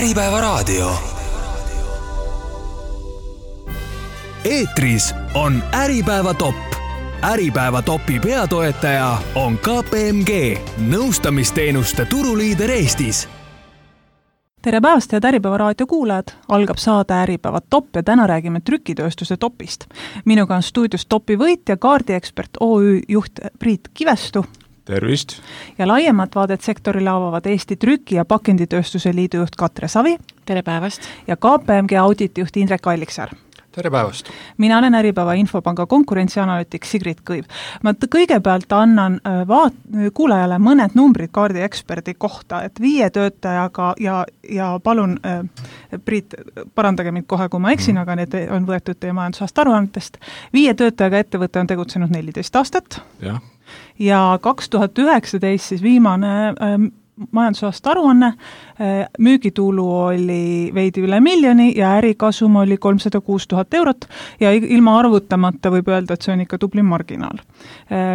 Äripäevaraadio. Eetris on Äripäeva top. Äripäeva topi peatoetaja on KPMG, nõustamisteenuste turuliider Eestis. Tere päevast, head Äripäevaraadio kuulajad! Algab saade Äripäeva top ja täna räägime trükitööstuse topist. Minuga on stuudios topi võitja, kaardiekspert OÜ juht Priit Kivestu. Tervist! Ja laiemat vaadet sektorile avavad Eesti Trüki- ja Pakenditööstuse liidu juht Katre Savi. Tere päevast! Ja KPMG auditijuht Indrek Alliksaar. Tere päevast! Mina olen Äripäeva Infopanga konkurentsianalüütik Sigrid Kõiv. Ma kõigepealt annan kuulajale mõned numbrid kaardieksperdi kohta, et 5 töötajaga ja palun, Priit, parandage mind kohe, kui ma eksin, aga need on võetud teie majandusaasta aruannetest. 5 töötajaga ettevõte on tegutsenud 14 aastat. Ja 2019 siis viimane majandusaasta aruanne, müügitulu oli veidi üle 1 miljoni ja ärikasum oli 306 000 eurot ja ilma arvutamata võib öelda, et see on ikka tubli marginaal.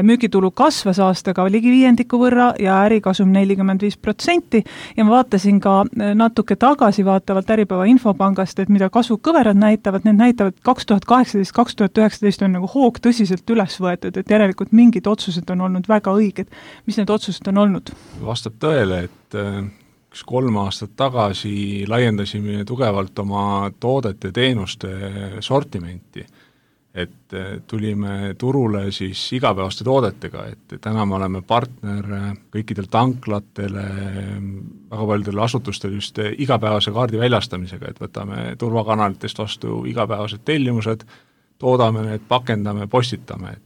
Müügitulu kasvas aastaga ligi 5% võrra ja ärikasum 45% ja ma vaatasin ka natuke tagasi vaatavalt Äripäeva Infopangast, et mida kasvukõverad näitavad, need näitavad 2018-2019 on nagu hoog tõsiselt üles võetud, et järelikult mingid otsused on olnud väga õiged. Mis need otsused on olnud? Vastab tõele, et 3 aastat tagasi laiendasime tugevalt oma toodete teenuste sortimenti, et tulime turule siis igapäevaste toodetega, et täna me oleme partner kõikidel tanklatele, väga paljudel asutustel just igapäevase kaardi väljastamisega, et võtame turvakanalitest vastu igapäevased tellimused, toodame need, pakendame, postitame,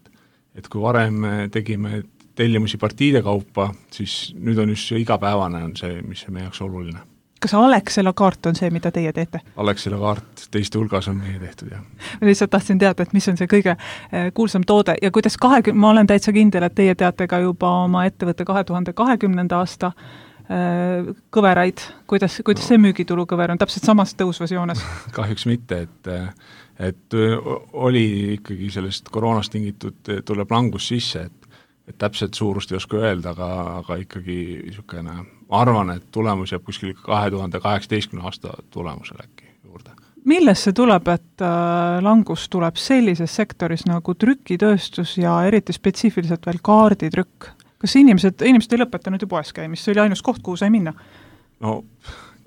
et kui varem tegime tellimusi partiide kaupa, siis nüüd on just see igapäevane on see, mis meie jaoks oluline. Kas Alexela kaart on see, mida teie teete? Alexela kaart teiste hulgas on meie tehtud, jah. Ma lihtsalt tahtsin teada, et mis on see kõige kuulsam toode ja kuidas ma olen täitsa kindel, et teie teate ka juba oma ettevõtte 2020. aasta kõveraid, kuidas see müügitulu kõver on täpselt samas tõusvas joones? Kahjuks mitte, et oli ikkagi sellest koroonast tingitud tuleb langus sisse, et täpselt suurust ei oska öelda, aga ikkagi niisugune, ma arvan, et tulemus jääb kuskil 2018. aasta tulemusele äkki juurde. Millest see tuleb, et langus tuleb sellises sektoris nagu trükitööstus ja eriti spetsiifiliselt veel kaarditrükk? Kas inimesed ei lõpetanud ju poes käimist, see oli ainus koht, kuhu sai minna? No,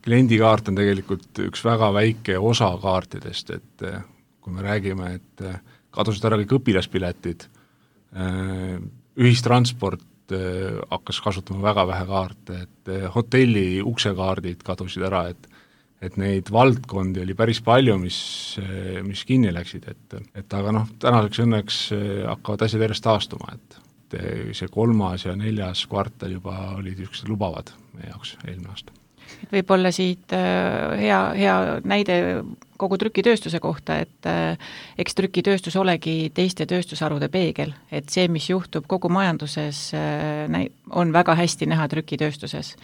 kliendikaart on tegelikult üks väga väike osa kaartidest, et kui me räägime, et kadusid ära kõik õpilaspiletid, ühistransport hakkas kasutama väga vähe kaarte, et hotelli uksekaardid kadusid ära, et neid valdkondi oli päris palju, mis kinni läksid, et aga tänaseks õnneks hakkavad asjad järjest taastuma, et see 3. ja 4. kvartal juba olid niisugused lubavad meie jaoks eelmine aasta. Võib-olla siit hea näide kogu trükitööstuse kohta, et eks trükitööstus olegi teiste tööstusharude peegel, et see, mis juhtub kogu majanduses, on väga hästi näha trükitööstuses.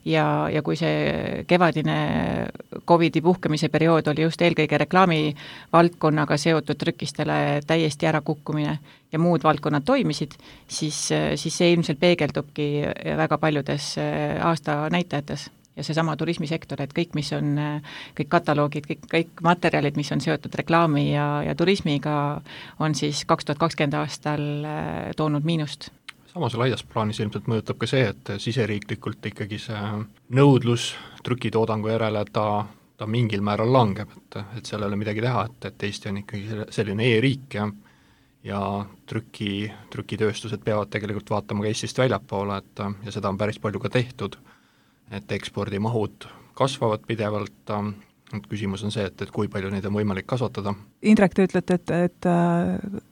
Ja kui see kevadine COVID-i puhkemise periood oli just eelkõige reklaami valdkonnaga seotud trükistele täiesti ära kukkumine ja muud valdkonnad toimisid, siis see ilmselt peegeldubki väga paljudes aasta näitajates. Ja seesama turismisektor, et kõik, mis on, kõik kataloogid, kõik materjalid, mis on seotud reklaami ja turismiga, on siis 2020 aastal toonud miinust. Samas laias plaanis ilmselt mõjutab ka see, et siseriiklikult ikkagi see nõudlus trükitoodangu järele, ta mingil määral langeb, et seal ei ole midagi teha, et Eesti on ikkagi selline e-riik ja trükitööstused peavad tegelikult vaatama ka Eestist väljapoole, ja seda on päris palju ka tehtud, et ekspordimahud kasvavad pidevalt, et küsimus on see, et kui palju neid on võimalik kasvatada. Indrek, te ütlete, et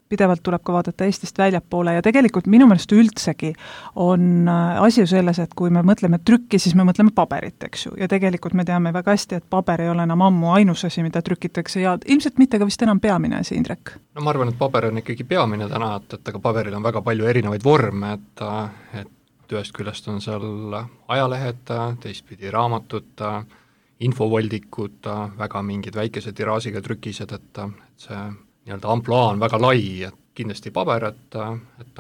pidevalt tuleb ka vaadata Eestist väljapoole ja tegelikult minu meelest üldsegi on asi ju selles, et kui me mõtleme trükki, siis me mõtleme paberit, eks ju, ja tegelikult me teame väga hästi, et paber ei ole enam ammu ainus asi, mida trükitakse ja ilmselt mitte ka vist enam peamine asi, Indrek. No ma arvan, et paber on ikkagi peamine täna, et aga paberil on väga palju erinevaid vorme, et ühest küljest on seal ajalehed, teistpidi raamatud, infovoldikud, väga mingid väikese tiraažiga trükised, et see nii-öelda amploa on väga lai, et kindlasti paber, et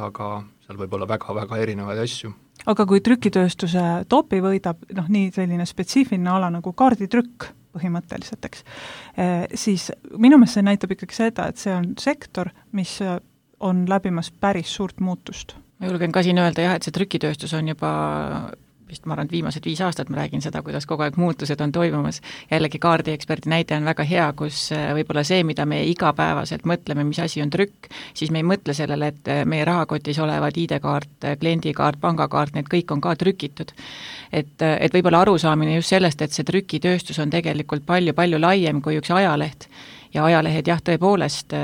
aga seal võib olla väga-väga erinevaid asju. aga kui trükitööstuse topi võidab nii selline spetsiifiline ala nagu kaarditrükk põhimõtteliselt, eks, siis minu meelest see näitab ikkagi seda, et see on sektor, mis on läbimas päris suurt muutust. Ma julgen ka siin öelda jah, et see trükitööstus on juba vist ma arvan, et viimased 5 aastat ma räägin seda, kuidas kogu aeg muutused on toimumas. Jällegi kaardieksperdi näide on väga hea, kus võib-olla see, mida me igapäevaselt mõtleme, mis asi on trükk, siis me ei mõtle sellele, et meie rahakotis olevad ID-kaart, kliendikaart, pangakaart, need kõik on ka trükitud. Et võib-olla arusaamine just sellest, et see trükitööstus on tegelikult palju-palju laiem kui üks ajaleht ja ajalehed jah, tõepoolest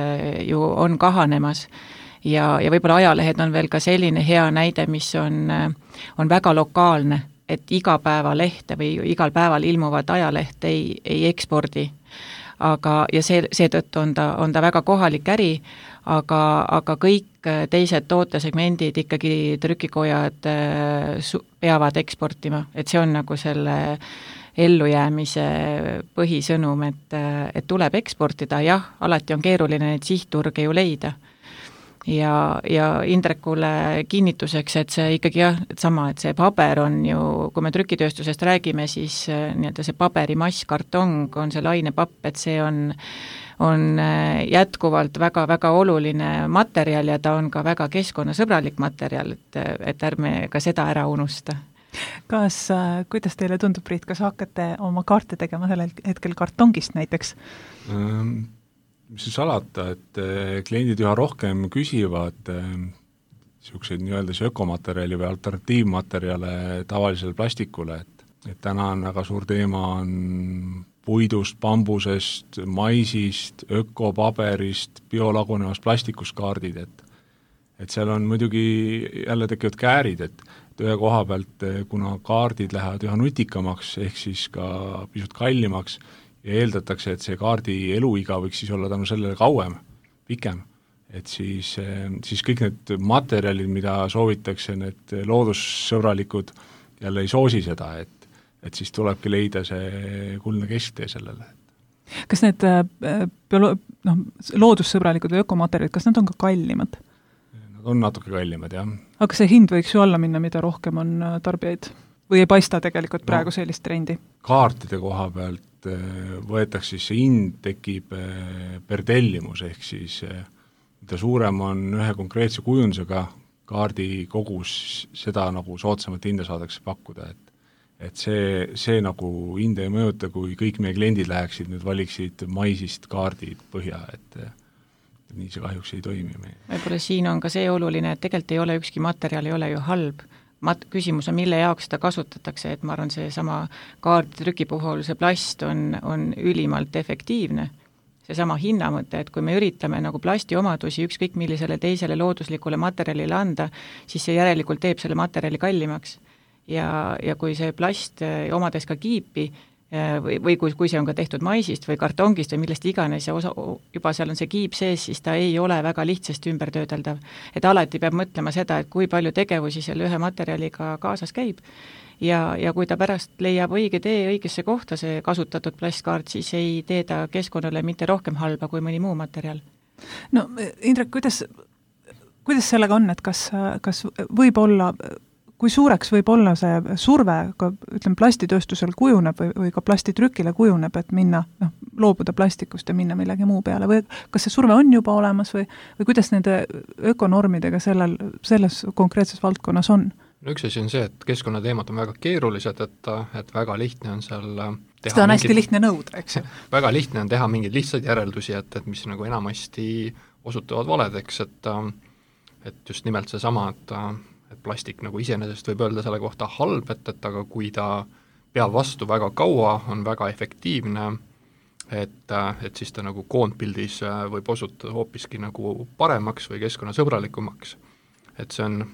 ju on kahanemas. Ja võib-olla ajalehed on veel ka selline hea näide, mis on väga lokaalne, et igapäevalehte või igal päeval ilmuvat ajaleht ei ekspordi. Ja seetõttu on ta väga kohalik äri, aga kõik teised tootesegmendid ikkagi trükikojad peavad eksportima, et see on nagu selle ellujäämise põhisõnum, et tuleb eksportida, jah, alati on keeruline neid sihtturge ju leida. Ja Indrekule kinnituseks, et see ikkagi jah, et see paber on ju, kui me trükitööstusest räägime, siis nii-öelda see paberimass, kartong on see lainepapp, et see on jätkuvalt väga-väga oluline materjal ja ta on ka väga keskkonnasõbralik materjal, et ärme ka seda ära unusta. Kuidas teile tundub, Priit, kas hakkate oma kaarte tegema sellel hetkel kartongist näiteks? Mis siis alata, et kliendid üha rohkem küsivad niisuguseid nii-öelda ökomaterjali või alternatiivmaterjale tavalisele plastikule, et täna on väga suur teema on puidust, bambusest, maisist, ökopaberist, biolagunevast plastikust kaardid, et seal on muidugi jälle tekivad käärid, et ühe koha pealt, kuna kaardid lähevad üha nutikamaks, ehk siis ka pisut kallimaks, ja eeldatakse, et see kaardi eluiga võiks siis olla tänu sellele kauem, pikem, et siis kõik need materjalid, mida soovitakse, need loodussõbralikud jälle ei soosi seda, et siis tulebki leida see kuldne kesktee sellele. Kas need loodussõbralikud või ökomaterjalid, kas nad on ka kallimad? Nad on natuke kallimad, jah. Aga see hind võiks ju alla minna, mida rohkem on tarbijaid? Või ei paista tegelikult praegu sellist trendi? Kaartide koha pealt võetakse siis see hind tekib per tellimus, ehk siis mida suurem on ühe konkreetse kujundusega kaardi kogus, seda nagu soodsamat hinda saadakse pakkuda, et see nagu hinda ei mõjuta, kui kõik meie kliendid läheksid, nüüd valiksid maisist kaardid põhja, et nii see kahjuks ei toimi. Võib-olla siin on ka see oluline, et tegelikult ei ole ükski materjal, ei ole ju halb. Küsimus on, mille jaoks seda kasutatakse, et ma arvan, see sama kaarditrüki puhul see plast on ülimalt efektiivne. See sama hinnamõte, et kui me üritame nagu plasti omadusi ükskõik millisele teisele looduslikule materjalile anda, siis see järelikult teeb selle materjali kallimaks. Ja kui see plast omades ka kiipi, või kui see on ka tehtud maisist või kartongist või millest iganes ja juba seal on see kiip sees, siis ta ei ole väga lihtsasti ümbertöödeldav. Et alati peab mõtlema seda, et kui palju tegevusi selle ühe materjaliga kaasas käib ja kui ta pärast leiab õige tee õigesse kohta, see kasutatud plastkaart, siis ei tee ta keskkonnale mitte rohkem halba kui mõni muu materjal. No Indrek, kuidas sellega on, et kas võib olla kui suureks võib olla see surve, ütleme, plastitööstusel kujuneb või ka plastitrükile kujuneb, et minna, loobuda plastikust ja minna millegi muu peale, või kas see surve on juba olemas või kuidas nende ökonormidega selles konkreetses valdkonnas on? No üks asi on see, et keskkonnateemad on väga keerulised, et väga lihtne on seal teha seda on hästi lihtne nõuda, eks ju. Väga lihtne on teha mingeid lihtsaid järeldusi, et mis nagu enamasti osutuvad valedeks, et just nimelt see sama, et plastik nagu iseenesest võib öelda selle kohta halb, et aga kui ta peab vastu väga kaua, on väga efektiivne, et siis ta nagu koondpildis võib osutuda hoopiski nagu paremaks või keskkonnasõbralikumaks. Et see on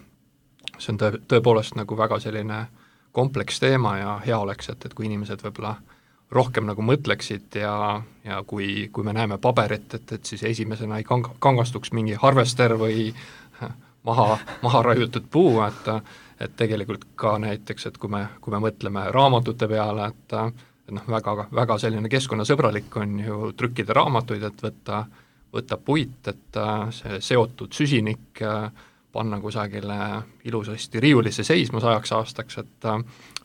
tõepoolest nagu väga selline kompleks teema ja hea oleks, et kui inimesed võib-olla rohkem nagu mõtleksid ja kui me näeme paberit, et siis esimesena ei kangastuks mingi harvester või maha raiutud puu, et tegelikult ka näiteks, et kui me mõtleme raamatute peale, et väga selline keskkonnasõbralik on ju trükkida raamatuid, et võtta puit, et see seotud süsinik panna kusagile ilusasti riiulisse seisma 100 aastaks, et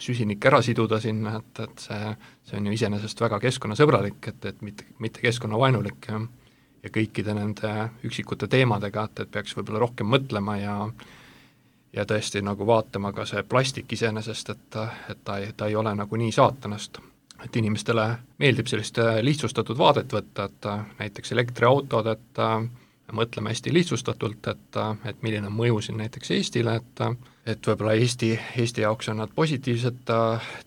süsinik ära siduda sinna, et see on ju iseenesest väga keskkonnasõbralik, et mitte keskkonnavaenulik ja kõikide nende üksikute teemadega, et peaks võib-olla rohkem mõtlema ja tõesti nagu vaatama ka see plastik iseenesest, et ta ei ole nagu nii saatanast. Et inimestele meeldib sellist lihtsustatud vaadet võtta, et näiteks elektriautod, et mõtleme hästi lihtsustatult, et milline on mõju siin näiteks Eestile, et võib-olla Eesti jaoks on nad positiivsed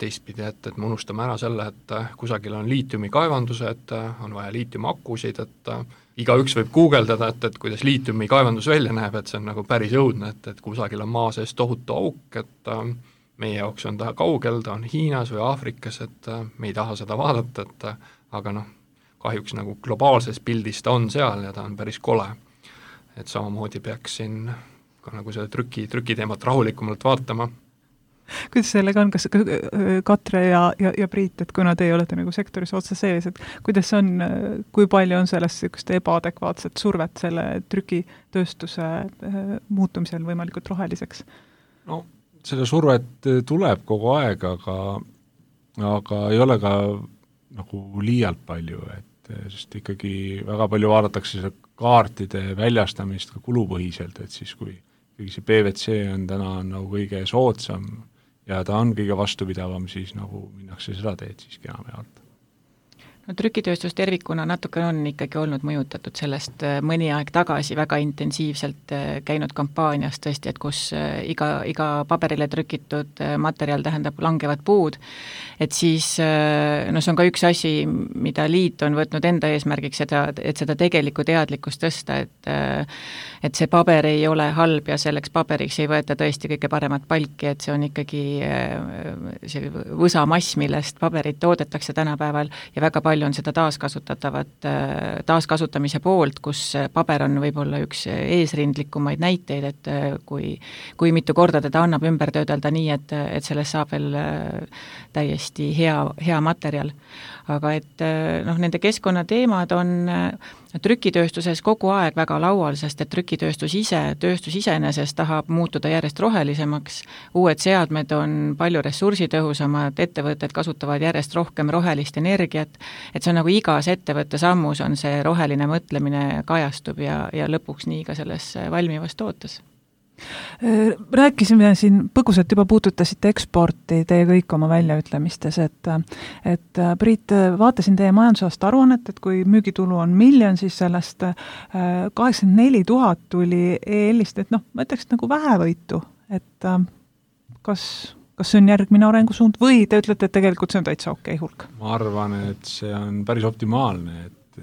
teistpidi, et me unustame ära selle, et kusagil on liitiumikaevandused, on vaja liitiumakusid, et igaüks võib guugeldada, et kuidas liitiumikaevandus välja näeb, et see on nagu päris õudne, et kusagil on maa sees tohutu auk, et meie jaoks on ta kaugel, ta on Hiinas või Aafrikas, et me ei taha seda vaadata, aga kahjuks nagu globaalses pildis ta on seal ja ta on päris kole. Et samamoodi peaks siin ka nagu selle trükiteemat rahulikumalt vaatama. Kuidas sellega on, kas Katre ja Priit, et kuna teie olete nagu sektoris otse sees, et kuidas on, kui palju on sellest ebaadekvaatset survet selle trükitööstuse muutumisel võimalikult roheliseks? No selle survet tuleb kogu aeg, aga ei ole ka nagu liialt palju, sest ikkagi väga palju vaadatakse seda kaartide väljastamist ka kulupõhiselt, et siis kui see PVC on täna nagu kõige soodsam ja ta on kõige vastupidavam, siis nagu minnakse seda teed siiski enamjaolt. No trükitööstus tervikuna natuke on ikkagi olnud mõjutatud sellest mõni aeg tagasi väga intensiivselt käinud kampaanias tõesti, et kus iga paberile trükitud materjal tähendab langevad puud, et siis see on ka üks asi, mida liit on võtnud enda eesmärgiks, et seda tegelikku teadlikkust tõsta, et see paber ei ole halb ja selleks paberiks ei võeta tõesti kõige paremat palki, et see on ikkagi see võsamass, millest paberit toodetakse tänapäeval ja väga palju on seda taaskasutamise poolt, kus paber on võib-olla üks eesrindlikumaid näiteid, et kui mitu korda teda annab ümber töödelda nii, et sellest saab veel täiesti hea materjal. Aga et nende keskkonnateemad on trükitööstuses kogu aeg väga laual, sest et trükitööstus iseenesest tahab muutuda järjest rohelisemaks, uued seadmed on palju ressursitõhusamad, ettevõtted kasutavad järjest rohkem rohelist energiat, et see on nagu igas ettevõtte sammus on see roheline mõtlemine kajastub ja lõpuks nii ka selles valmivas tootes. Rääkisime siin põgusalt juba puututasite eksporti teie kõik oma väljaütlemistes, et Priit, vaatasin teie majandusaasta aruannet, et kui müügitulu on 1 miljon, siis sellest 84 000 tuli EL-ist, et ma ütleks nagu vähevõitu, et kas see on järgmine arengusuund või te ütlete, et tegelikult see on täitsa okei hulk? Ma arvan, et see on päris optimaalne, et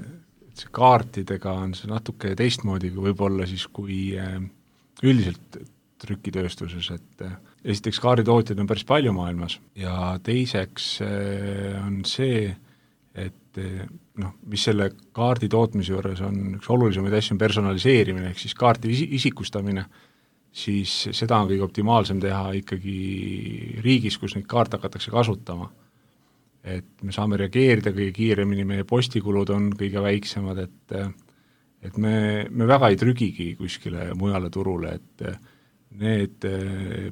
see kaartidega on see natuke teistmoodi kui võib-olla siis kui üldiselt trükitööstuses, et esiteks kaarditootjaid on päris palju maailmas ja teiseks on see, et mis selle kaardi tootmise juures on üks olulisemaid asju on personaliseerimine, ehk siis kaarti isikustamine, siis seda on kõige optimaalsem teha ikkagi riigis, kus neid kaarte hakatakse kasutama. Et me saame reageerida kõige kiiremini, meie postikulud on kõige väiksemad, et me väga ei trügigi kuskile mujale turule, et need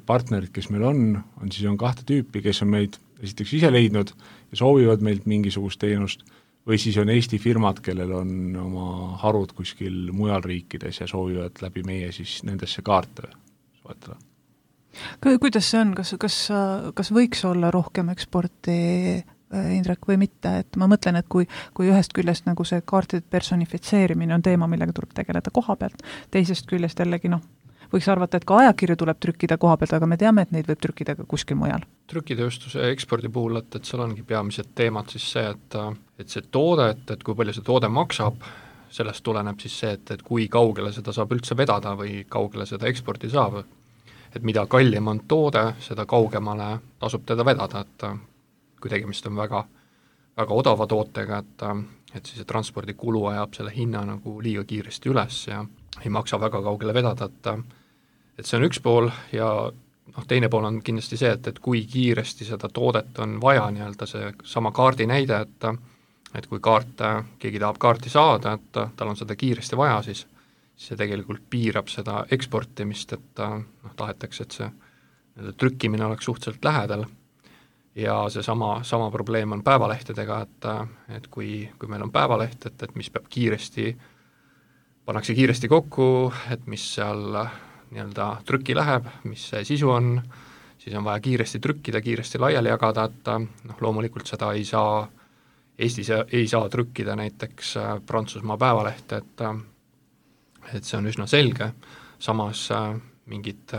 partnerid, kes meil on 2 tüüpi, kes on meid esiteks ise leidnud ja soovivad meilt mingisugust teenust, või siis on Eesti firmad, kellel on oma harud kuskil mujal riikides ja soovivad läbi meie siis nendesse kaarte soetada. Kuidas see on, kas võiks olla rohkem eksporti, Indrek, või mitte, et ma mõtlen, et kui ühest küljest nagu see kaartide personifitseerimine on teema, millega tuleb tegeleda koha pealt, teisest küljest jällegi võiks arvata, et ka ajakirju tuleb trükkida koha pealt, aga me teame, et neid võib trükkida ka kuskil mujal. Trükitööstuse ekspordi puhul, et seal ongi peamised teemad siis see, et see toode, et kui palju see toode maksab, sellest tuleneb siis see, et kui kaugele seda saab üldse vedada või kaugele seda eksporti saab, et mida kallim on toode, seda kaugemale tasub teda vedada, et kui tegemist on väga, väga odava tootega, et siis see transpordikulu ajab selle hinna nagu liiga kiiresti üles ja ei maksa väga kaugele vedada, et see on üks pool ja teine pool on kindlasti see, et kui kiiresti seda toodet on vaja, nii-öelda see sama kaardi näide, et kui keegi tahab kaarti saada, et tal on seda kiiresti vaja, siis see tegelikult piirab seda eksportimist, et tahetakse, et see trükkimine oleks suhteliselt lähedal ja see sama probleem on päevalehtedega, et kui meil on päevaleht, et mis peab pannakse kiiresti kokku, et mis seal nii-öelda trükki läheb, mis see sisu on, siis on vaja kiiresti trükkida, kiiresti laiali jagada, et loomulikult seda Eestis ei saa trükkida näiteks Prantsusmaa päevalehte, et see on üsna selge, samas mingid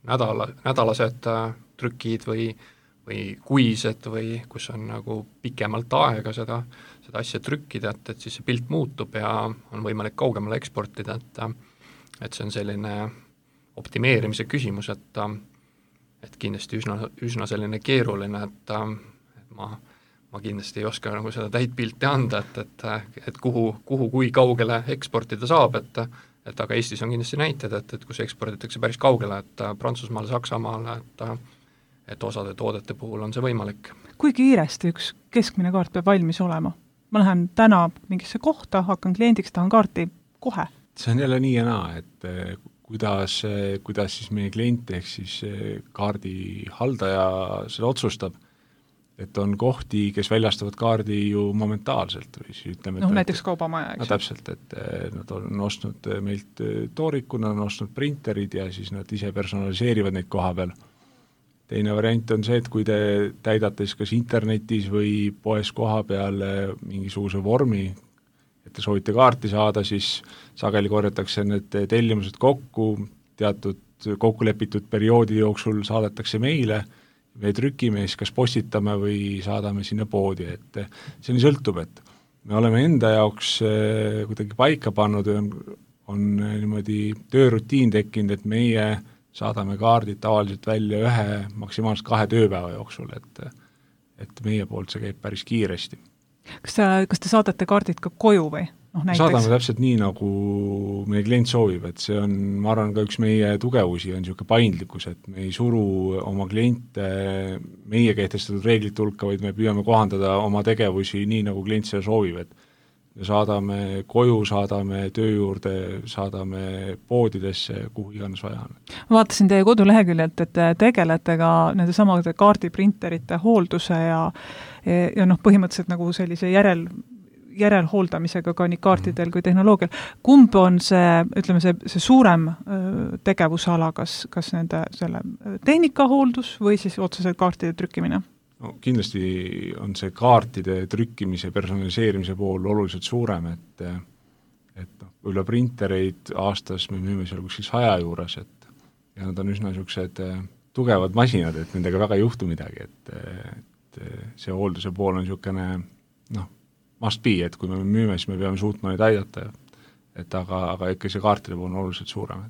nädalased trükid või kuised või kus on nagu pikemalt aega seda asja trükkida, et siis see pilt muutub ja on võimalik kaugemale eksportida, et see on selline optimeerimise küsimus, et kindlasti üsna selline keeruline, et ma kindlasti ei oska nagu seda täit pilti anda, et kuhu kui kaugele eksportida saab, et aga Eestis on kindlasti näited, et kus eksporditakse päris kaugele, et Prantsusmaale, Saksamaale, et osade toodete puhul on see võimalik. Kui kiiresti üks keskmine kaart peab valmis olema? Ma lähen täna mingisse kohta, hakkan kliendiks, tahan kaarti kohe. See on jälle nii ja naa, et kuidas siis meie klient ehk siis kaardi haldaja seda otsustab, et on kohti, kes väljastavad kaardi ju momentaalselt või siis ütleme, näiteks kaubamaja, eks? Täpselt, et nad on ostnud meilt tooriku, nad on ostnud printerid ja siis nad ise personaliseerivad neid koha peal. Teine variant on see, et kui te täidate siis kas internetis või poes koha peal mingisuguse vormi, et te soovite kaarti saada, siis sageli korjatakse need tellimused kokku, teatud kokkulepitud perioodi jooksul saadetakse meile, me trükime, siis kas postitame või saadame sinna poodi, et see nii sõltub, et me oleme enda jaoks kuidagi paika pannud ja on niimoodi töörutiin tekkinud, et meie saadame kaardid tavaliselt välja 1, maksimaalselt 2 tööpäeva jooksul, et meie poolt see käib päris kiiresti. Kas te saadate kaardid ka koju või? Saadame täpselt nii, nagu meie klient soovib, et see on, ma arvan, ka üks meie tugevusi on niisugune paindlikkus, et me ei suru oma kliente meie kehtestatud reeglite hulka, vaid me püüame kohandada oma tegevusi nii, nagu klient seda soovib, et me saadame koju, saadame töö juurde, saadame poodidesse, kuhu iganes vaja on. Ma vaatasin teie koduleheküljelt, et tegelete ka nende samade kaardiprinterite hoolduse ja põhimõtteliselt nagu sellise järelhooldamisega ka nii kaartidel kui tehnoloogial. Kumb on see suurem tegevusala, kas nende selle tehnikahooldus või siis otseselt kaartide trükkimine? No, kindlasti on see kaartide trükkimise, personaliseerimise pool oluliselt suurem, et üle printereid aastas me müüme seal kuskil 100 juures, ja nad on üsna niisugused tugevad masinad, et nendega väga ei juhtu midagi, et see hoolduse pool on niisugune must be, et kui me müüme, siis me peame suutma neid aidata, aga ikka see kaartide pool on oluliselt suurem.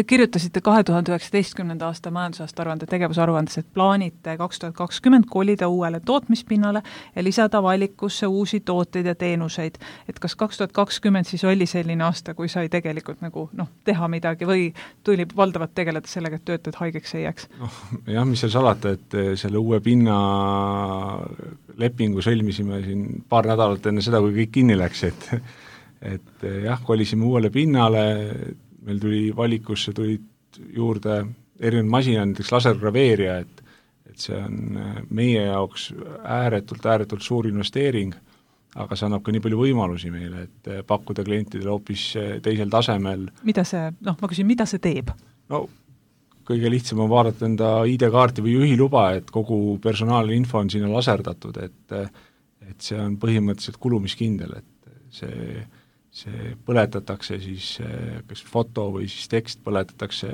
Kirjutasite 2019. aasta majandusaasta aruande tegevusaruandes, et plaanite 2020 kolida uuele tootmispinnale ja lisada valikusse uusi tooteid ja teenuseid. Et kas 2020 siis oli selline aasta, kui sai tegelikult nagu teha midagi või tuli valdavalt tegeleda sellega, et töötajad haigeks ei jääks? Jah, mis seal salata, et selle uue pinna lepingu sõlmisime siin paar nädalat enne seda, kui kõik kinni läks, et jah, kolisime uuele pinnale, meil tuli valikusse, tulid juurde erinevad masinad, näiteks lasergraveerija, et see on meie jaoks ääretult suur investeering, aga see annab ka nii palju võimalusi meile, et pakkuda klientidele hoopis teisel tasemel. Mida see teeb? No, kõige lihtsam on vaadata enda ID-kaarti või juhiluba, et kogu personaalne info on sinna laserdatud, et see on põhimõtteliselt kulumiskindel, et see põletatakse siis, kas foto või siis tekst põletatakse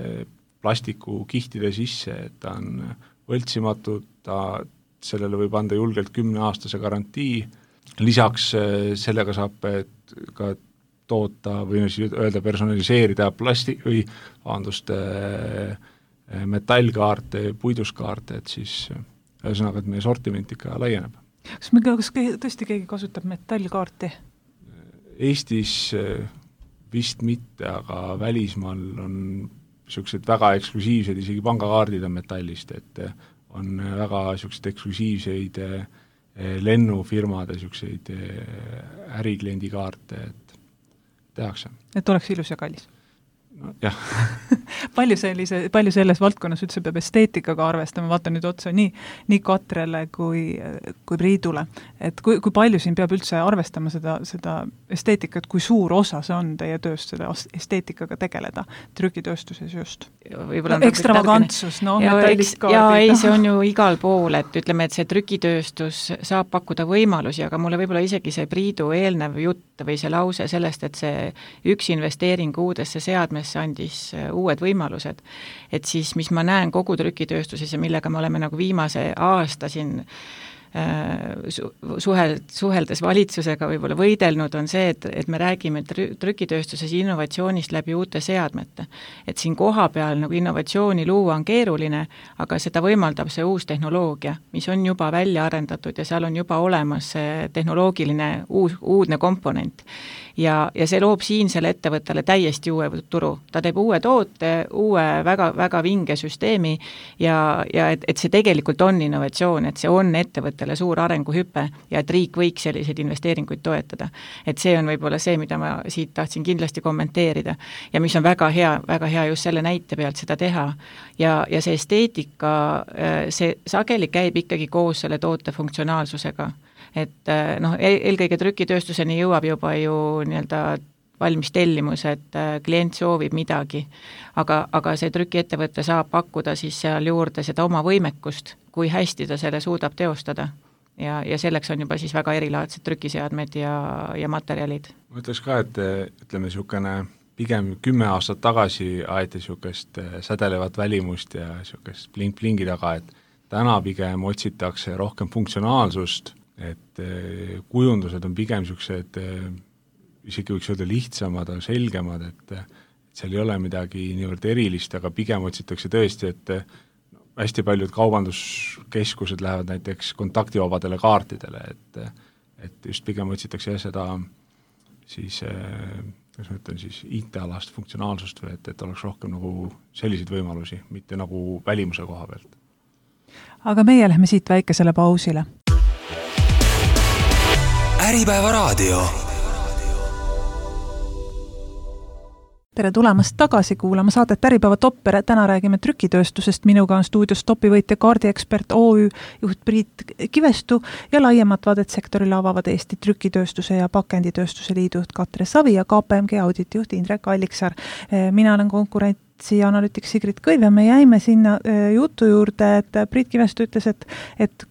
plastikukihtide sisse, et ta on võltsimatu, sellele võib anda julgelt 10-aastase garantii, lisaks sellega saab ka toota või öelda personaliseerida metallkaarte, puiduskaarte, et siis ühesõnaga, et meie sortiment ikka laieneb. Kas tõesti keegi kasutab metallkaarti? Eestis vist mitte, aga välismaal on niisugused väga eksklusiivsed, isegi pangakaardid on metallist, et on väga niisugused eksklusiivseid lennufirmade niisuguseid ärikliendi kaarte, et tehakse. Et oleks ilus ja kallis? no, jah. palju selles valdkonnas üldse peab esteetikaga arvestama, vaata nüüd otsa nii Katrele kui Priidule, et kui palju siin peab üldse arvestama seda esteetikat, kui suur osa see on teie tööst seda esteetikaga tegeleda trükitööstuses just? Ekstravagantsus, see on ju igal pool, et ütleme, et see trükitööstus saab pakkuda võimalusi, aga mulle võib-olla isegi see Priidu eelnev jutt või see lause sellest, et see üks investeering uudesse seadmesse andis uued võimalused. Et siis, mis ma näen kogu trükitööstuses ja millega me oleme nagu viimase aasta siin suheldes valitsusega võib-olla võidelnud, on see, et me räägime trükitööstuses innovatsioonist läbi uute seadmete. Et siin koha peal nagu innovatsiooni luua on keeruline, aga seda võimaldab see uus tehnoloogia, mis on juba välja arendatud ja seal on juba olemas see tehnoloogiline uudne komponent. Ja see loob siinsele ettevõttele täiesti uue turu. Ta teeb uue toote, uue väga, väga vinge süsteemi ja et see tegelikult on innovatsioon, et see on ettevõttele suur arenguhüpe ja et riik võiks selliseid investeeringuid toetada. Et see on võib-olla see, mida ma siit tahtsin kindlasti kommenteerida ja mis on väga hea just selle näite pealt seda teha. Ja see esteetika, see sageli käib ikkagi koos selle toote funktsionaalsusega. Et eelkõige trükitööstuseni jõuab juba ju nii-öelda valmis tellimus, et klient soovib midagi, aga see trükiettevõte saab pakkuda siis seal juurde seda oma võimekust, kui hästi ta selle suudab teostada. Ja selleks on juba siis väga erilaadsed trükiseadmed ja materjalid. Ma ütleks ka, et ütleme pigem 10 aastat tagasi aeti niisugust sädelevat välimust ja niisugust blink-blingi taga, et täna pigem otsitakse rohkem funktsionaalsust, et kujundused on pigem niisugused, isegi võiks öelda lihtsamad, selgemad, et seal ei ole midagi niivõrd erilist, aga pigem otsitakse tõesti, et hästi paljud kaubanduskeskused lähevad näiteks kontaktivabadele kaartidele, et just pigem otsitakse seda siis, kas ma ütlen siis IT-alast funktsionaalsust või et oleks rohkem nagu selliseid võimalusi, mitte nagu välimuse koha pealt. Aga meie lähme siit väikesele pausile. Äripäeva raadio. Tere tulemast tagasi kuulama saadet Äripäeva Topper. Täna räägime trükitööstusest. Minuga on stuudios topivõitja kaardiekspert OÜ juht Priit Kivestu ja laiemat vaadet sektorile avavad Eesti trükitööstuse ja pakenditööstuse liidu Katre Savi ja KPMG auditijuht Indrek Alliksaar. Mina olen konkurent analüütik Sigrid Kõiv ja me jäime sinna jutu juurde, et Priit Kivestu ütles, et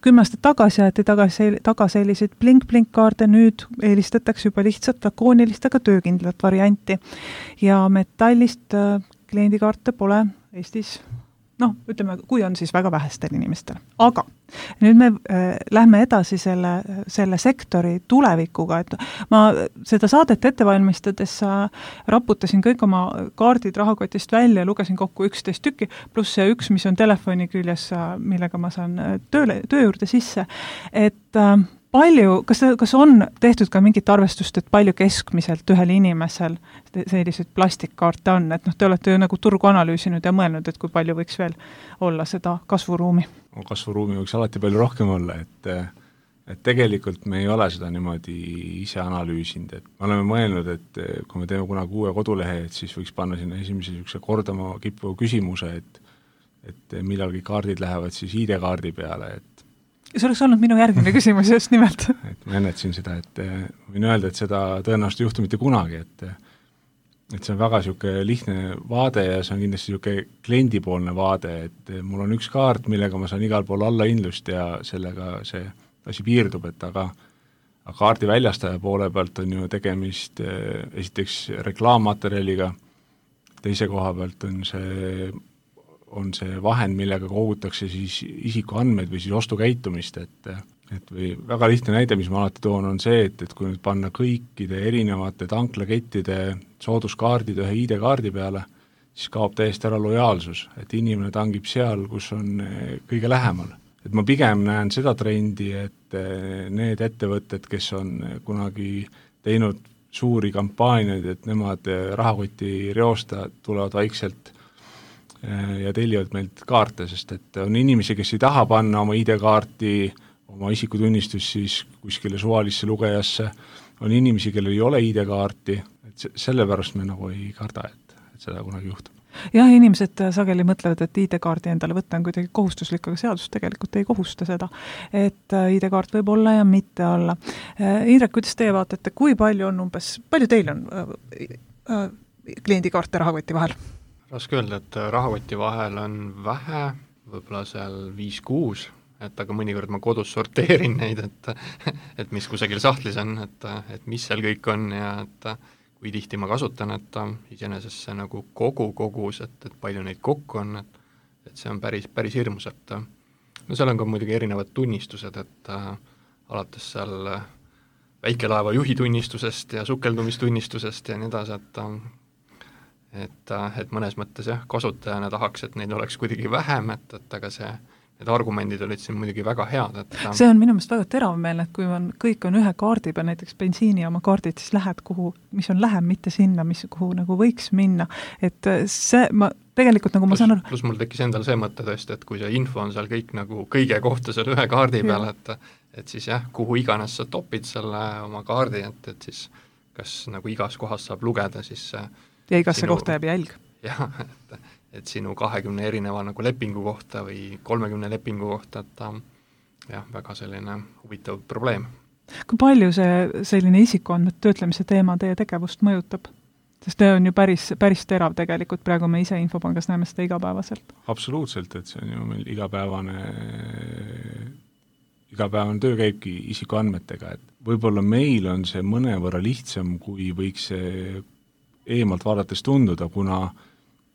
10 aastat tagasi aeti taga selliseid blink-blink-kaarde, nüüd eelistatakse juba lihtsalt lakoonilist, aga töökindlat varianti. Ja metallist kliendikaarte pole Eestis, ütleme, kui on siis väga vähestel inimestel. Aga nüüd me lähme edasi selle sektori tulevikuga, et ma seda saadet ettevalmistades raputasin kõik oma kaardid rahakotist välja ja lugesin kokku 11 tükki, pluss see üks, mis on telefoni küljes, millega ma saan töö juurde sisse, et kas on tehtud ka mingit arvestust, et palju keskmiselt ühel inimesel selliseid plastikkaarte on, et te olete ju nagu turgu analüüsinud ja mõelnud, et kui palju võiks veel olla seda kasvuruumi? Kasvuruumi võiks alati palju rohkem olla, et tegelikult me ei ole seda niimoodi ise analüüsinud, et me oleme mõelnud, et kui me teeme kunagi uue kodulehe, et siis võiks panna sinna esimese kordama kippuva küsimuse, et millalgi kaardid lähevad siis ID-kaardi peale, et see oleks olnud minu järgmine küsimus just nimelt. Et ma ennetasin seda, et võin öelda, et seda tõenäoliselt ei juhtu mitte kunagi, et see on väga lihtne vaade ja see on kindlasti kliendipoolne vaade, et mul on üks kaart, millega ma saan igal pool alla indlust ja sellega see asi piirdub, et aga kaardi väljastaja poole pealt on ju tegemist esiteks reklaammaterjaliga, teise koha pealt on see vahend, millega kogutakse siis isikuandmeid või siis ostukäitumist, et või väga lihtne näide, mis ma alati toon, on see, et kui nüüd panna kõikide erinevate tanklakettide sooduskaardid ühe ID-kaardi peale, siis kaob täiesti ära lojaalsus, et inimene tangib seal, kus on kõige lähemal. Et ma pigem näen seda trendi, et need ettevõtted, kes on kunagi teinud suuri kampaaniaid, et nemad rahakoti reosta tulevad vaikselt ja tellivad meilt kaarte, sest et on inimesi, kes ei taha panna oma ID-kaarti, oma isikutunnistus siis kuskile suvalisse lugejasse, on inimesi, kellel ei ole ID-kaarti, et sellepärast me nagu ei karda, et seda kunagi juhtub. Jah, inimesed sageli mõtlevad, et ID-kaardi endale võtta on kuidagi kohustuslik, aga seadus tegelikult ei kohusta seda, et ID-kaart võib olla ja mitte olla. Indrek, kuidas teie vaatate, kui palju on palju teil on kliendikaarte rahakoti vahel? Raske öelda, et rahakoti vahel on vähe, võib-olla seal 5-6, et aga mõnikord ma kodus sorteerin neid, et mis kusagil sahtlis on, et mis seal kõik on ja et kui tihti ma kasutan, et iseenesest see nagu kogus, et palju neid kokku on, et see on päris hirmus, et no seal on ka muidugi erinevad tunnistused, et alates seal väikelaeva juhi tunnistusest ja sukeldumistunnistusest ja nii edasi, et mõnes mõttes jah, kasutajana tahaks, et neid oleks kuidagi vähem, et aga need argumendid olid siin muidugi väga head, et see on minu meelest väga teravmeelne, et kui kõik on ühe kaardi peal, näiteks bensiini oma kaardid, siis lähed mis on lähem, mitte sinna, kuhu nagu võiks minna, et see, tegelikult nagu ma saan aru... Plus mul tekkis endal see mõte tõesti, et kui see info on seal kõik nagu kõige kohta seal ühe kaardi peal, et siis jah, kuhu iganes sa topid selle oma kaardi, et siis kas nagu igas kohas saab lugeda, siis ja igasse kohta jääb jälg. Jah, et sinu 20 erineva nagu lepingu kohta või 30 lepingu kohta, et jah, väga selline huvitav probleem. Kui palju see selline isikuandmete töötlemise teema teie tegevust mõjutab? Sest see on ju päris terav tegelikult, praegu me ise Infopangas näeme seda igapäevaselt. Absoluutselt, et see on ju meil igapäevane töö käibki isikuandmetega, et võib-olla meil on see mõnevõrra lihtsam, kui võiks see eemalt vaadates tunduda, kuna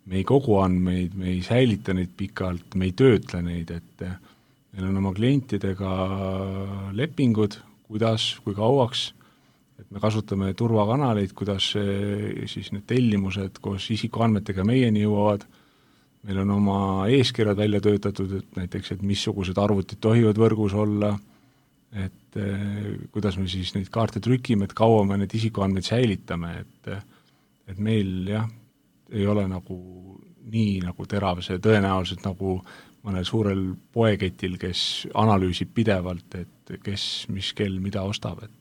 me ei kogu andmeid, me ei säilita neid pikalt, me ei töötle neid, et meil on oma klientidega lepingud, kuidas, kui kauaks, et me kasutame turvakanaleid, kuidas siis need tellimused koos isikuandmetega meieni jõuavad, meil on oma eeskirjad välja töötatud, et näiteks, et missugused arvutid tohivad võrgus olla, et kuidas me siis neid kaarte trükime, et kaua me need isikuandmeid säilitame, et meil jah, ei ole nagu nii nagu terav see tõenäoliselt nagu mõnel suurel poeketil, kes analüüsib pidevalt, et kes, mis kell, mida ostab, et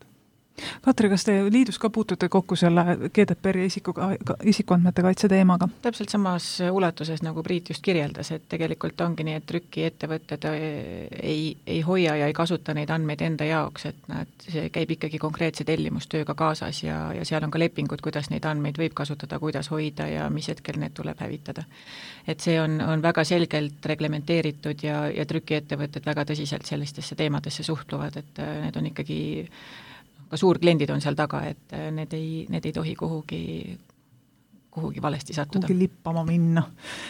Katri, kas te liidus ka puutute kokku selle GDPR-i isikuandmete kaitse teemaga? Täpselt samas ulatuses, nagu Priit just kirjeldas, et tegelikult ongi nii, et trükiettevõtted ei hoia ja ei kasuta neid andmeid enda jaoks, et see käib ikkagi konkreetse tellimustööga kaasas ja seal on ka lepingud, kuidas neid andmeid võib kasutada, kuidas hoida ja mis hetkel need tuleb hävitada. Et see on väga selgelt reglementeeritud ja trükiettevõtted väga tõsiselt sellistesse teemadesse suhtluvad, et need on ikkagi ka suurkliendid on seal taga, et need ei tohi kuhugi valesti sattuda. Kuhugi lippama minna.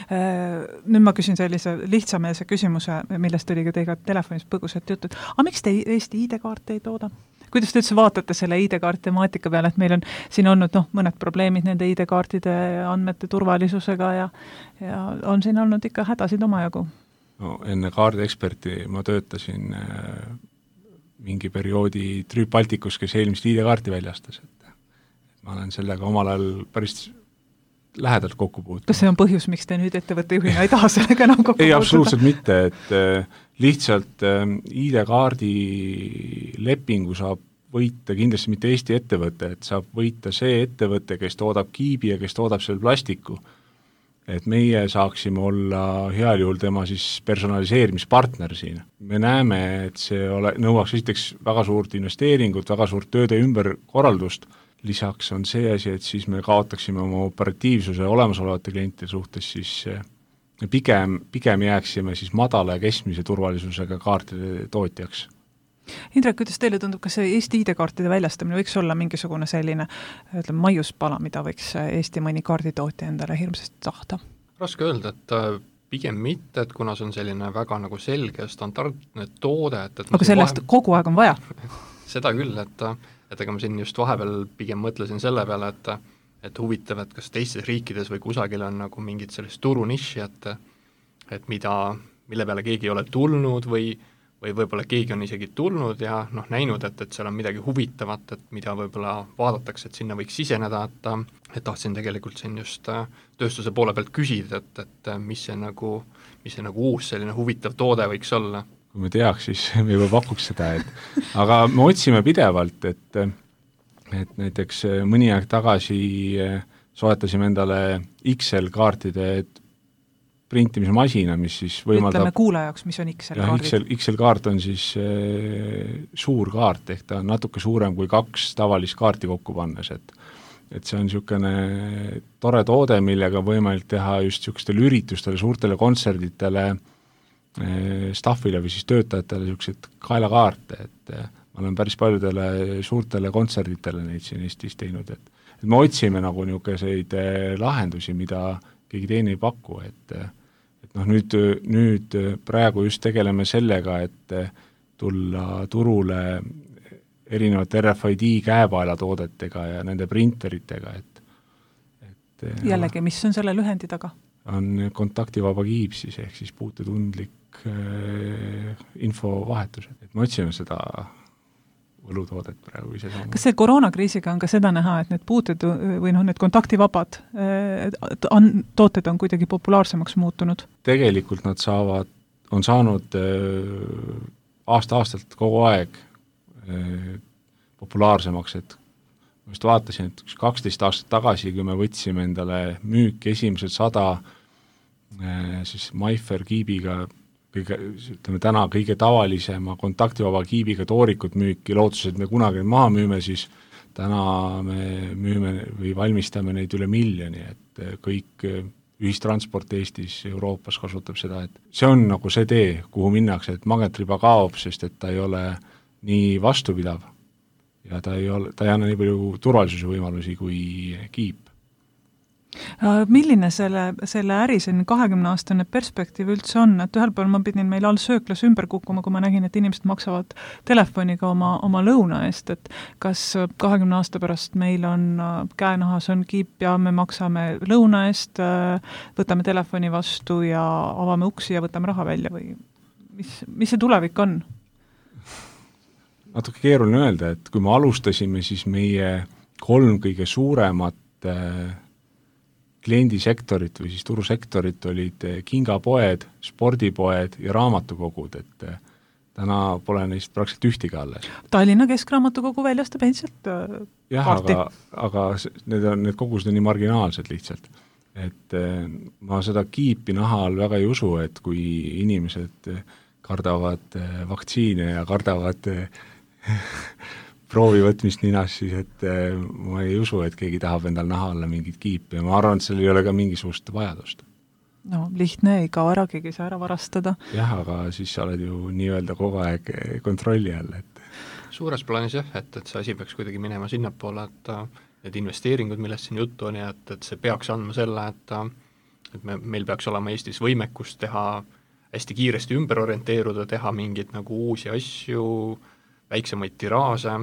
Nüüd ma küsin sellise lihtsameelse küsimuse, millest oli ka teiega telefonis põgusat juttu. Aga miks te Eesti ID-kaarte ei tooda? Kuidas te üldse vaatate selle ID-kaart temaatika peale, et meil on siin olnud mõned probleemid nende ID-kaartide andmete turvalisusega ja on siin olnud ikka hädasid omajagu? No, enne kaardi-eksperti ma töötasin mingi perioodi Trüüp Balticus, kes eelmist ID-kaarti väljastas, et ma olen sellega omal ajal päris lähedalt kokku puutunud. Kas see on põhjus, miks te nüüd ettevõtte juhina ei taha sellega enam kokku puutuda? Ei, absoluutselt mitte, et lihtsalt ID-kaardi lepingu saab võita kindlasti mitte Eesti ettevõte, et saab võita see ettevõte, kes toodab kiibi ja kes toodab seal plastiku. Et meie saaksime olla heal juhul tema siis personaliseerimispartner siin. Me näeme, et see nõuaks esiteks väga suurt investeeringut, väga suurt tööde ümberkorraldust. Lisaks on see asi, et siis me kaotaksime oma operatiivsuse olemasolevate klientide suhtes, siis pigem jääksime siis madala ja keskmise turvalisusega kaartide tootjaks. Indrek, kuidas teile tundub, kas Eesti ID-kaartide väljastamine võiks olla mingisugune selline maiuspala, mida võiks Eesti mõni kaarditootja endale hirmsasti tahta? Raske öelda, et pigem mitte, et kuna see on selline väga nagu selge standardne toode, aga sellest kogu aeg on vaja? Seda küll, et ega ma siin just vahepeal pigem mõtlesin selle peale, et huvitav, et kas teistes riikides või kusagil on nagu mingid sellist turuniši, et mille peale keegi ei ole tulnud või võib-olla keegi on isegi tulnud ja näinud, et seal on midagi huvitavat, et mida võib-olla vaadatakse, et sinna võiks siseneda, et tahtsin tegelikult siin just tööstuse poole pealt küsida, et mis see nagu uus selline huvitav toode võiks olla. Kui me teaks, siis me juba pakuks seda, aga me otsime pidevalt, et näiteks mõni aeg tagasi soetasime endale XL-kaartide printimismasina, mis siis võimaldab... Ütleme kuule jaoks, mis on XL-kaardid. XL-kaart on siis suur kaart, ehk ta on natuke suurem kui 2 tavalist kaarti kokku pannes, et see on niisugune tore toode, millega on võimalik teha just niisugustele üritustele, suurtele kontserditele, staffile või siis töötajatele niisugused kaelakaarte, et ma olen päris paljudele suurtele kontserditele neid siin Eestis teinud, et me otsime nagu niisuguseid lahendusi, mida keegi teine ei paku, et nüüd praegu just tegeleme sellega, et tulla turule erinevate RFID käepaelatoodetega ja nende printeritega, et jällegi, mis on selle lühendi taga? On kontaktivaba kiip siis, ehk siis puutetundlik infovahetus, et me otsime seda võlutoodet praegu ise saama. Kas see koroonakriisiga on ka seda näha, et need puuted või need kontaktivabad tooted on kuidagi populaarsemaks muutunud? Tegelikult nad on saanud aasta-aastalt kogu aeg populaarsemaks, et ma just vaatasin, et 12 aastat tagasi, kui me võtsime endale müüki esimesed 100 siis Maifer kiibiga täna kõige tavalisema kontaktivaba kiibiga toorikut müüki, lootuses, et me kunagi maha müüme, siis täna me müüme või valmistame neid üle 1 miljoni, et kõik ühistransport Eestis, Euroopas kasutab seda, et see on nagu see tee, kuhu minnakse, et magnetriba kaob, sest et ta ei ole nii vastupidav ja ta ei anna nii palju turvalisuse võimalusi kui kiip. Milline selle äri 20-aastane perspektiiv üldse on, et ühel pool ma pidin meil all sööklas ümber kukkuma, kui ma nägin, et inimesed maksavad telefoniga oma lõuna eest, et kas 20 aasta pärast meil on käenahas on kiip ja me maksame lõuna eest, võtame telefoni vastu ja avame uksi ja võtame raha välja või mis see tulevik on? Natuke keeruline öelda, et kui me alustasime, siis meie 3 kõige suuremat kliendisektorit või siis turusektorit olid kingapoed, spordipoed ja raamatukogud, et täna pole neist praktiliselt ühtegi alles. Tallinna Keskraamatukogu väljastab endiselt kaarti. Aga need kogused on nii marginaalsed lihtsalt. Et ma seda kiipi naha all väga ei usu, et kui inimesed kardavad vaktsiine ja kardavad proovi võtmist ninas, siis et ma ei usu, et keegi tahab endal naha alla mingit kiipi ja ma arvan, et seal ei ole ka mingisugust vajadust. No lihtne, ei kao ära, keegi saa ära varastada. Jah, aga siis sa oled ju nii-öelda kogu aeg kontrolli all, et suures plaanis jah, et see asi peaks kuidagi minema sinnapoole, et need investeeringud, millest siin juttu on ja et see peaks andma selle, et meil peaks olema Eestis võimekust teha hästi kiiresti ümber orienteeruda, teha mingeid nagu uusi asju, väiksemaid tiraase,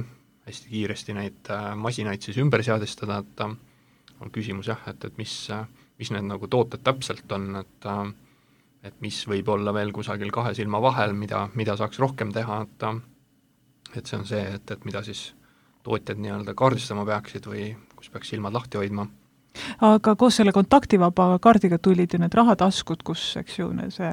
hästi kiiresti neid masinaid siis ümber seadistada, et on küsimus jah, et mis need nagu tooted täpselt on, et mis võib olla veel kusagil 2 silma vahel, mida saaks rohkem teha, et see on see, et mida siis tootjad nii-öelda kaardistama peaksid või kus peaks silmad lahti hoidma. Aga koos selle kontaktivaba kaardiga tulid ju need rahataskud, kus, eks ju, see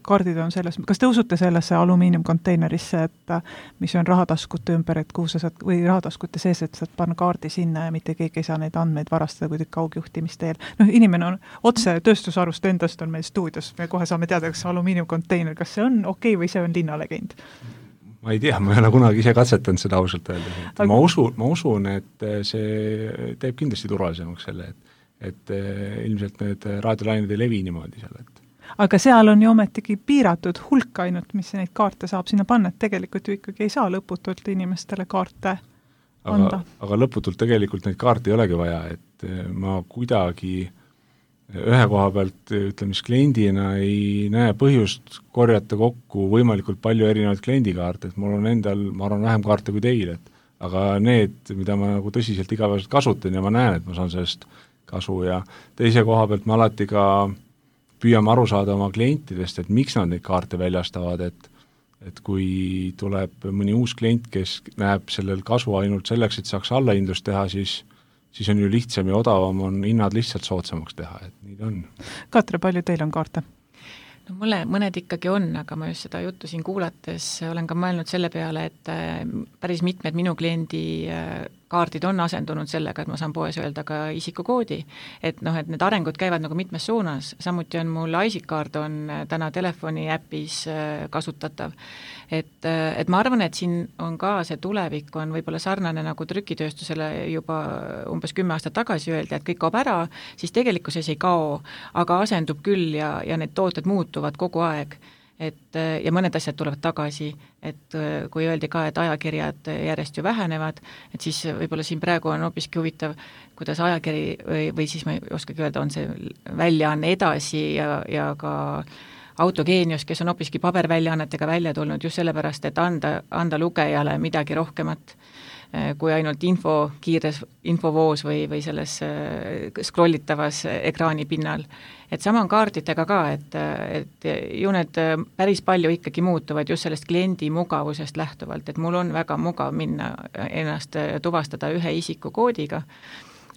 kaardid on selles, kas te usute sellesse alumiiniumkonteinerisse, et mis on rahataskute ümber, et kuhu sa saad, või rahataskute sees, et saad panna kaardi sinna ja mitte keegi ei saa neid andmeid varastada kuidagi kaugjuhtimisteel. Inimene on otse tööstusarust endast on meil stuudios, me kohe saame teada, kas alumiiniumkonteiner, kas see on okei või see on linnalegend? Ma ei tea, ma ei ole kunagi ise katsetanud seda ausalt öelda. Ma usun, et see teeb kindlasti turvalisemaks selle, et ilmselt need raadiolained ei levi niimoodi seal. Aga seal on ju ometigi piiratud hulk ainult, mis neid kaarte saab sinna panna, et tegelikult ju ikkagi ei saa lõputult inimestele kaarte anda. Aga lõputult tegelikult neid kaarte ei olegi vaja, et ma kuidagi ühe koha pealt, ütleme siis kliendina ei näe põhjust korjata kokku võimalikult palju erinevaid kliendikaarte, et mul on endal, ma arvan, vähem kaarte kui teil, aga need, mida ma nagu tõsiselt igapäevaselt kasutan ja ma näen, et ma saan sellest kasu ja teise koha pealt me alati ka püüame aru saada oma klientidest, et miks nad neid kaarte väljastavad, et kui tuleb mõni uus klient, kes näeb sellel kasu ainult selleks, et saaks allahindlust teha, siis on ju lihtsam ja odavam on hinnad lihtsalt soodsamaks teha, et nii ta on. Katre, palju teil on kaarte? No mulle mõned ikkagi on, aga ma just seda juttu siin kuulates olen ka mõelnud selle peale, et päris mitmed minu kliendi kaardid on asendunud sellega, et ma saan poes öelda ka isikukoodi, et noh, et need arengud käivad nagu mitmes suunas, samuti on mul ISIC-kaart on täna telefoni äpis kasutatav. Et ma arvan, et siin on ka see tulevik on võib-olla sarnane nagu trükitööstusele juba umbes 10 aastat tagasi öeldi, et kõik kaob ära, siis tegelikkuses ei kao, aga asendub küll ja need tooted muutuvad kogu aeg. Ja mõned asjad tulevad tagasi, et kui öeldi ka, et ajakirjad järjest ju vähenevad, et siis võib-olla siin praegu on hoopiski huvitav, kuidas ajakiri või siis ma ei oskagi öelda, on see väljaanne edasi ja ka Autogeenius, kes on hoopiski paberväljaannetega välja tulnud just sellepärast, et anda lugejale midagi rohkemat kui ainult kiires infovoos või selles scrollitavas ekraani pinnal. Et sama on kaartidega ka, et ju need päris palju ikkagi muutuvad just sellest kliendi mugavusest lähtuvalt, et mul on väga mugav minna ennast tuvastada ühe isikukoodiga,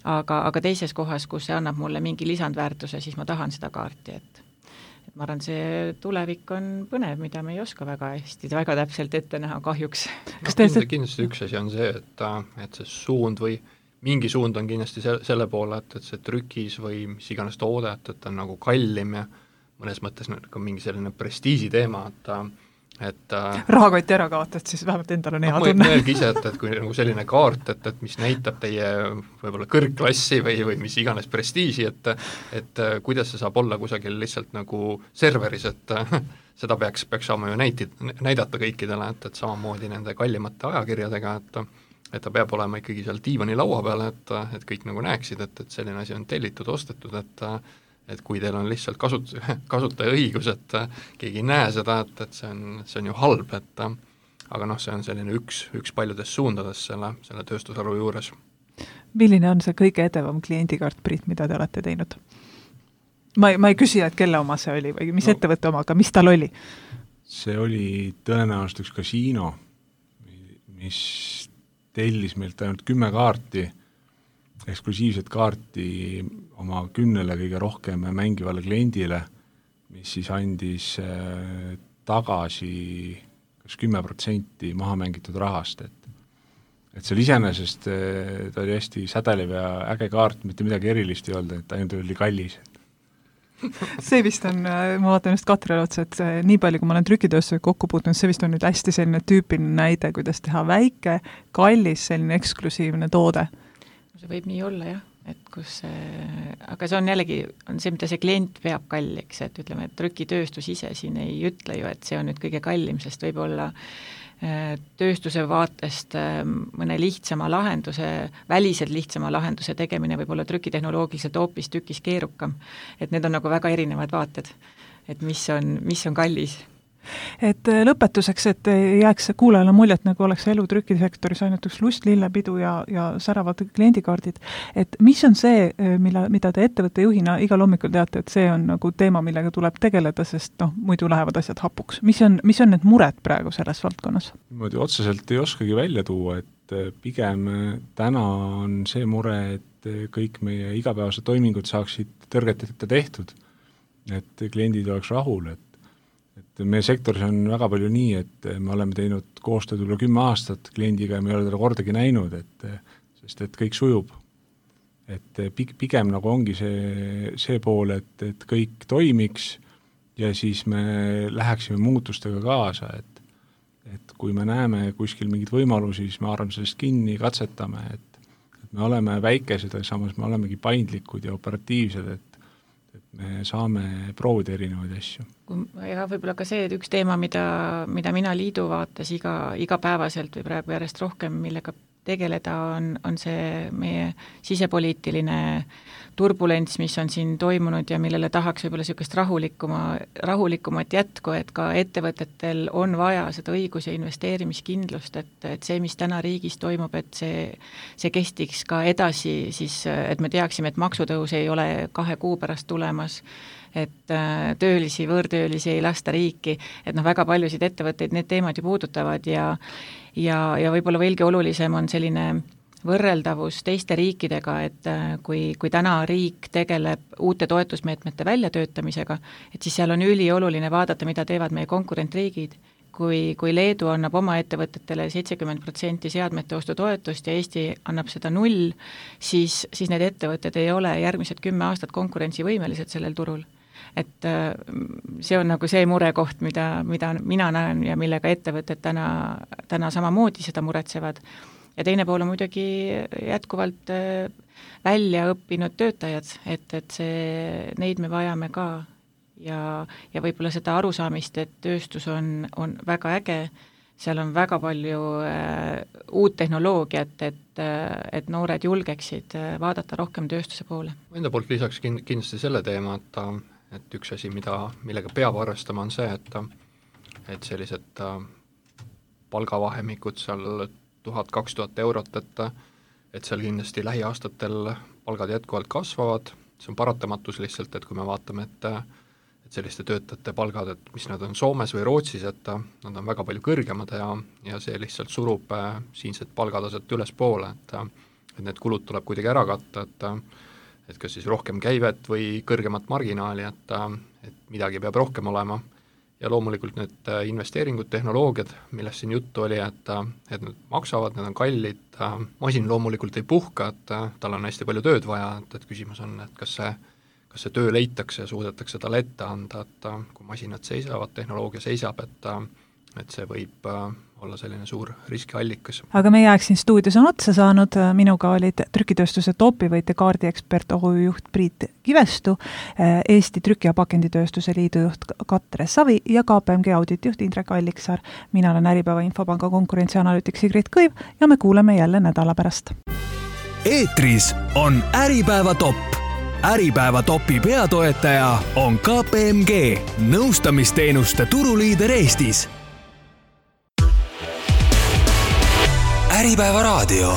aga teises kohas, kus see annab mulle mingi lisandväärtuse, siis ma tahan seda kaarti, et ma arvan, see tulevik on põnev, mida me ei oska väga hästi, väga täpselt ette näha kahjuks. Kindlasti üks asi on see, et see suund või mingi suund on kindlasti selle poole, et see trükis või mis iganes toode, et on nagu kallim ja mõnes mõttes ka mingi selline prestiisi teema, et rahakoti ära kaotad, siis vähemalt endal on hea tunne. Mõelgi ise, et kui nagu selline kaart, et mis näitab teie võib-olla kõrgklassi või mis iganes prestiisi, et kuidas see saab olla kusagil lihtsalt nagu serveris, et seda peaks saama ju näidata kõikidele, et samamoodi nende kallimate ajakirjadega, et ta peab olema ikkagi seal diivani laua peal, et kõik nagu näeksid, et selline asi on tellitud, ostetud, et kui teil on lihtsalt kasutaja õigus, et keegi ei näe seda, et see on ju halb, aga noh, see on selline üks paljudest suundades selle tööstusharu juures. Milline on see kõige edevam kliendikaart, Priit, mida te olete teinud? Ma ei küsi, et kelle oma see oli või mis ettevõtte oma, aga mis tal oli? See oli tõenäoliselt üks kasiino, mis tellis meilt ainult 10 kaarti, eksklusiivset kaarti oma 10 kõige rohkem mängivale kliendile, mis siis andis tagasi kas 10% maha mängitud rahast, et see iseenesest ta oli hästi sädelev ja äge kaart, mitte midagi erilist ei olnud, et ainult oli kallis. See vist on, ma vaatan just Katrile otsa, et nii palju, kui ma olen trükitööstusega kokku puutunud, see vist on nüüd hästi selline tüüpiline näide, kuidas teha väike, kallis, selline eksklusiivne toode. See võib nii olla, jah, et aga see on jällegi, on see, mida see klient peab kalliks, et ütleme, et trükitööstus ise siin ei ütle ju, et see on nüüd kõige kallim, sest võib-olla tööstuse vaatest mõne lihtsama lahenduse, väliselt lihtsama lahenduse tegemine võib olla trükitehnoloogiliselt hoopis tükis keerukam. Et need on nagu väga erinevad vaated, et mis on kallis. Et lõpetuseks, et jääks kuulajale muljet, nagu oleks elu trükisektoris ainult üks lust, lillepidu ja säravad kliendikaardid, et mis on see, mida te ettevõtte juhina igal hommikul teate, et see on nagu teema, millega tuleb tegeleda, sest muidu lähevad asjad hapuks. Mis on need mured praegu selles valdkonnas? Niimoodi otseselt ei oskagi välja tuua, et pigem täna on see mure, et kõik meie igapäevased toimingud saaksid tõrgeteta tehtud, et kliendid oleks rahul, et meie sektoris on väga palju nii, et me oleme teinud koostööd üle 10 aastat kliendiga ja me ei ole teda kordagi näinud, sest kõik sujub. Et pigem nagu ongi see pool, et kõik toimiks ja siis me läheksime muutustega kaasa, et kui me näeme kuskil mingid võimalusi, siis me arvame sellest kinni, katsetame, et me oleme väikesed, aga samas me olemegi paindlikud ja operatiivsed, et me saame proovida erinevaid asju. Ja võib-olla ka see, et üks teema, mida mina liidu vaates igapäevaselt või praegu järjest rohkem, millega tegeleda on see meie sisepoliitiline turbulents, mis on siin toimunud ja millele tahaks võib-olla niisugust rahulikumat jätku, et ka ettevõtetel on vaja seda õigus- ja investeerimiskindlust, et see, mis täna riigis toimub, et see kestiks ka edasi, siis et me teaksime, et maksutõus ei ole 2 kuu pärast tulemas, et võõrtöölisi ei lasta riiki, et väga paljusid ettevõtteid need teemad ju puudutavad ja võib-olla veelgi olulisem on selline võrreldavus teiste riikidega, et kui täna riik tegeleb uute toetusmeetmete väljatöötamisega, et siis seal on ülioluline vaadata, mida teevad meie konkurentriigid, kui Leedu annab oma ettevõtetele 70% seadmete ostu toetust ja Eesti annab seda 0, siis need ettevõtted ei ole järgmised 10 aastat konkurentsivõimelised sellel turul. Et see on nagu see murekoht, mida mina näen ja millega ettevõtted täna samamoodi seda muretsevad. Ja teine pool on muidugi jätkuvalt välja õppinud töötajad, et neid me vajame ka ja võib-olla seda arusaamist, et tööstus on väga äge, seal on väga palju uut tehnoloogiat, et noored julgeksid vaadata rohkem tööstuse poole. Enda poolt lisaks kindlasti selle teema, et üks asi, millega peab arvestama, on see, et sellised palgavahemikud seal 1000-2000 eurot, et seal kindlasti lähiaastatel palgad jätkuvalt kasvavad, see on paratamatus lihtsalt, et kui me vaatame, et selliste töötajate palgad, et mis nad on Soomes või Rootsis, et nad on väga palju kõrgemad ja see lihtsalt surub siinset palgataset ülespoole, et need kulud tuleb kuidagi ära katta, et kas siis rohkem käivet või kõrgemat marginaali, et midagi peab rohkem olema. Ja loomulikult need investeeringud, tehnoloogiad, millest siin juttu oli, et need maksavad, need on kallid, masin loomulikult ei puhka, et tal on hästi palju tööd vaja, et küsimus on, et kas see töö leitakse ja suudetakse talle ette anda, et kui masinad seisavad, tehnoloogia seisab, et see võib olla selline suur riskiallikas. Aga meie aeg siin stuudios on otsa saanud, minuga olid trükitööstuse toopivõitja kaardiekspert OÜ-juht Priit Kivestu, Eesti Trüki- ja Pakenditööstuse Liidu juht Katre Savi ja KPMG auditjuht Indrek Alliksaar. Mina olen Äripäeva Infopanga konkurentsianalüütik Sigrid Kõiv ja me kuuleme jälle nädala pärast. Eetris on Äripäeva top. Äripäeva topi peatoetaja on KPMG, nõustamisteenuste turuliider Eestis. Äripäeva raadio.